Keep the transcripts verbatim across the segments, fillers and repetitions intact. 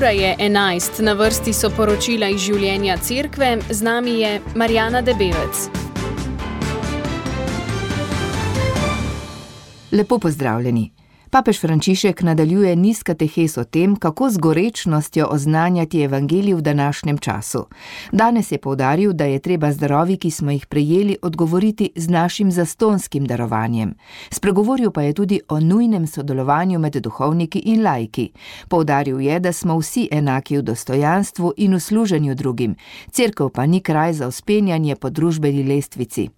Ura je enajst, na vrsti so poročila iz življenja cerkve, z nami je Marjana Debevec. Lepo pozdravljeni. Papež Frančišek nadaljuje niz katehes o tem, kako z gorečnostjo oznanjati evangelij v današnjem času. Danes je poudaril, da je treba z darovi, ki smo jih prejeli, odgovoriti z našim zastonjskim darovanjem. Spregovoril pa je tudi o nujnem sodelovanju med duhovniki in laiki. Poudaril je, da smo vsi enaki v dostojanstvu in v služenju drugim. Cerkev pa ni kraj za vzpenjanje po družbeni lestvici.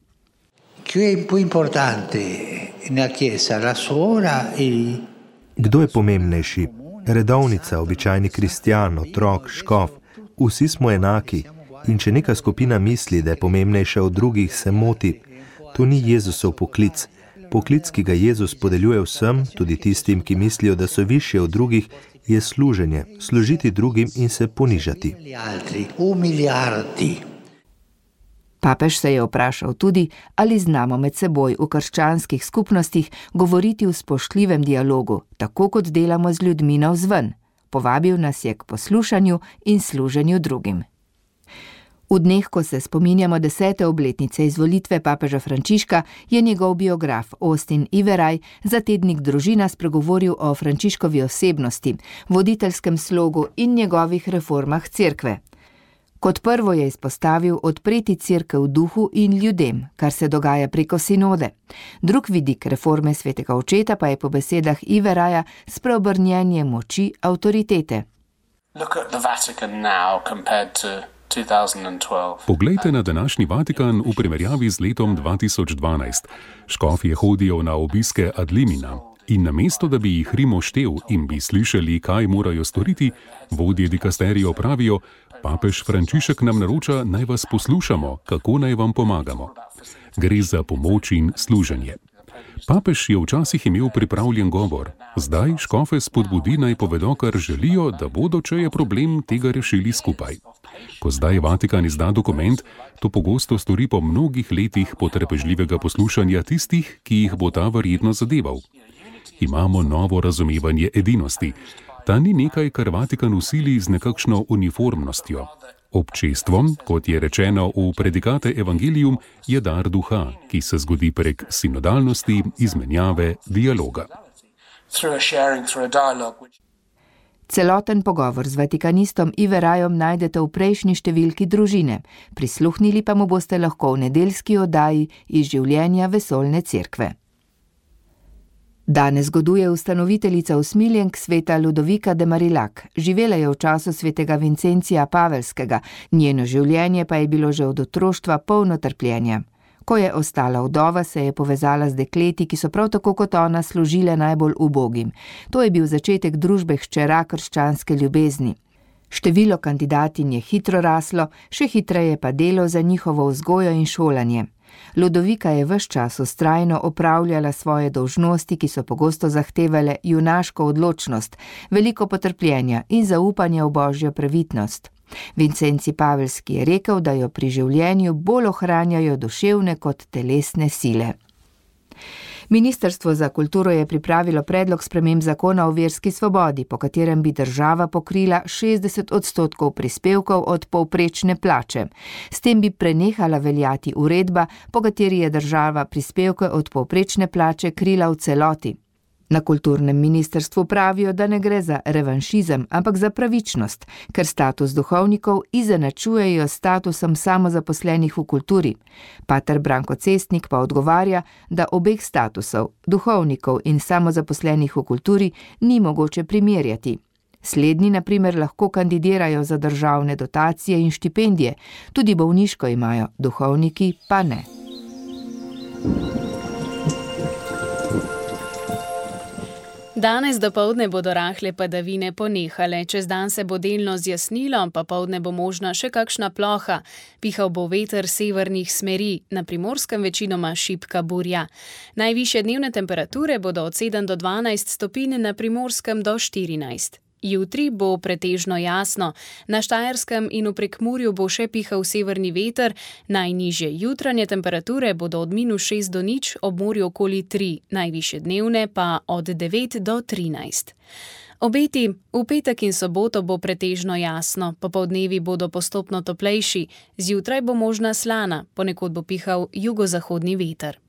Kdo je pomembnejši? Redovnica, običajni kristjan, otrok, škof. Vsi smo enaki in če neka skupina misli, da je pomembnejša od drugih, se moti. To ni Jezusov poklic. Poklic, ki ga Jezus podeljuje vsem, tudi tistim, ki mislijo, da so višje od drugih, je služenje, služiti drugim in se ponižati. Papež se je vprašal tudi, ali znamo med seboj v krščanskih skupnostih govoriti v spoštljivem dialogu, tako kot delamo z ljudmi navzven. Povabil nas je k poslušanju in služenju drugim. V dneh, ko se spominjamo desete obletnice izvolitve papeža Frančiška, je njegov biograf Austin Iveraj za tednik Družina spregovoril o Frančiškovi osebnosti, voditeljskem slogu in njegovih reformah cerkve. Kot prvo je izpostavil odpreti cerkev duhu in ljudem, kar se dogaja preko sinode. Drug vidik reforme svetega očeta pa je po besedah Iveraja spreobrnjenje moči avtoritete. Poglejte na današnji Vatikan v primerjavi z letom dva tisoč dvanajst. Škofje hodijo na obiske ad limina. In namesto, da bi jih Rim oštel in bi slišali, kaj morajo storiti, vodje dikasterijo pravijo, papež Frančišek nam naroča, naj vas poslušamo, kako naj vam pomagamo. Gre za pomoč in služenje. Papež je včasih imel pripravljen govor, zdaj škofe spodbudi naj povedo, kar želijo, da bodo, če je problem, tega rešili skupaj. Ko zdaj Vatikan izda dokument, to pogosto stori po mnogih letih potrpežljivega poslušanja tistih, ki jih bo ta verjetno zadeval. Imamo novo razumevanje edinosti. Ta ni nekaj, kar Vatikan usili z nekakšno uniformnostjo. Občestvo, kot je rečeno v Predikate Evangelium, je dar duha, ki se zgodi prek sinodalnosti, izmenjave, dialoga. Celoten pogovor z vatikanistom Iverajom najdete v prejšnji številki Družine. Prisluhnili pa mu boste lahko v nedeljski oddaji iz življenja vesoljne cerkve. Danes goduje ustanoviteljica usmiljenk sveta Ludovika de Marillac. Živela je v času svetega Vincencija Pavelskega, njeno življenje pa je bilo že od otroštva polno trpljenja. Ko je ostala vdova, se je povezala z dekleti, ki so prav tako kot ona služile najbolj ubogim. To je bil začetek družbe hčera krščanske ljubezni. Število kandidatinj je hitro raslo, še hitreje pa delo za njihovo vzgojo in šolanje. Ludovika je ves čas vztrajno opravljala svoje dolžnosti, ki so pogosto zahtevale junaško odločnost, veliko potrpljenja in zaupanja v božjo previdnost. Vincenci Pavelski je rekel, da jo pri življenju bolj ohranjajo duševne kot telesne sile. Ministrstvo za kulturo je pripravilo predlog sprememb zakona o verski svobodi, po katerem bi država pokrila šestdeset odstotkov prispevkov od povprečne plače. S tem bi prenehala veljati uredba, po kateri je država prispevke od povprečne plače krila v celoti. Na kulturnem ministrstvu pravijo, da ne gre za revanšizem, ampak za pravičnost, ker status duhovnikov izenačujejo s statusom samozaposlenih v kulturi. Pater Branko Cestnik pa odgovarja, da obeh statusov, duhovnikov in samozaposlenih v kulturi, ni mogoče primerjati. Slednji, na primer, lahko kandidirajo za državne dotacije in štipendije, tudi bolniško imajo, duhovniki pa ne. Danes dopoldne bodo rahle padavine ponehale, čez dan se bo delno zjasnilo, popoldne bo možna še kakšna ploha. Pihal bo veter severnih smeri, na Primorskem večinoma šibka burja. Najvišje dnevne temperature bodo od sedem do dvanajst stopinj, na Primorskem do štirinajst. Jutri bo pretežno jasno, na Štajerskem in v Prekmurju bo še pihal severni veter, najnižje jutranje temperature bodo od minus šest do nič, ob morju okoli tri, najvišje dnevne pa od devet do trinajst. Obeti v petek in soboto bo pretežno jasno, popoldnevi bodo postopno toplejši, zjutraj bo možna slana, ponekod bo pihal jugozahodni veter.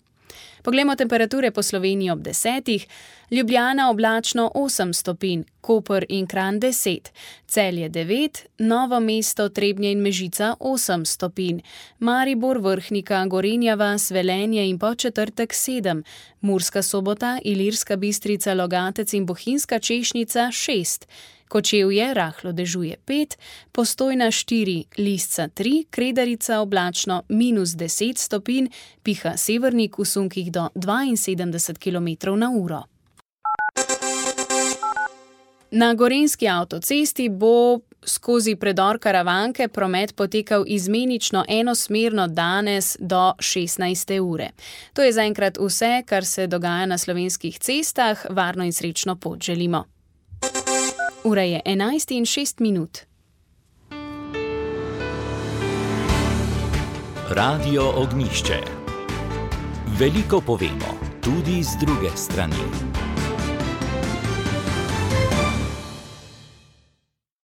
Poglejmo temperature po Sloveniji ob desetih. Ljubljana oblačno osem stopinj, Koper in Kranj deset, Celje devet, Novo mesto, Trebnje in Mežica osem stopinj, Maribor, Vrhnika, Gorenja vas, Velenje in Podčetrtek sedem, Murska Sobota, Ilirska Bistrica, Logatec in Bohinjska Češnica šest, Kočevje rahlo dežuje pet, Postojna štiri, Lisca tri, Kredarica oblačno minus deset stopinj, piha severnik v sunkih do dvainsedemdeset kilometrov na uro. Na gorenjski avtocesti bo skozi predor Karavanke promet potekal izmenično enosmerno danes do šestnajste ure. To je zaenkrat vse, kar se dogaja na slovenskih cestah. Varno in srečno pot želimo. Ura je enajst in šest minut. Radio Ognjišče. Veliko povemo, tudi z druge strani.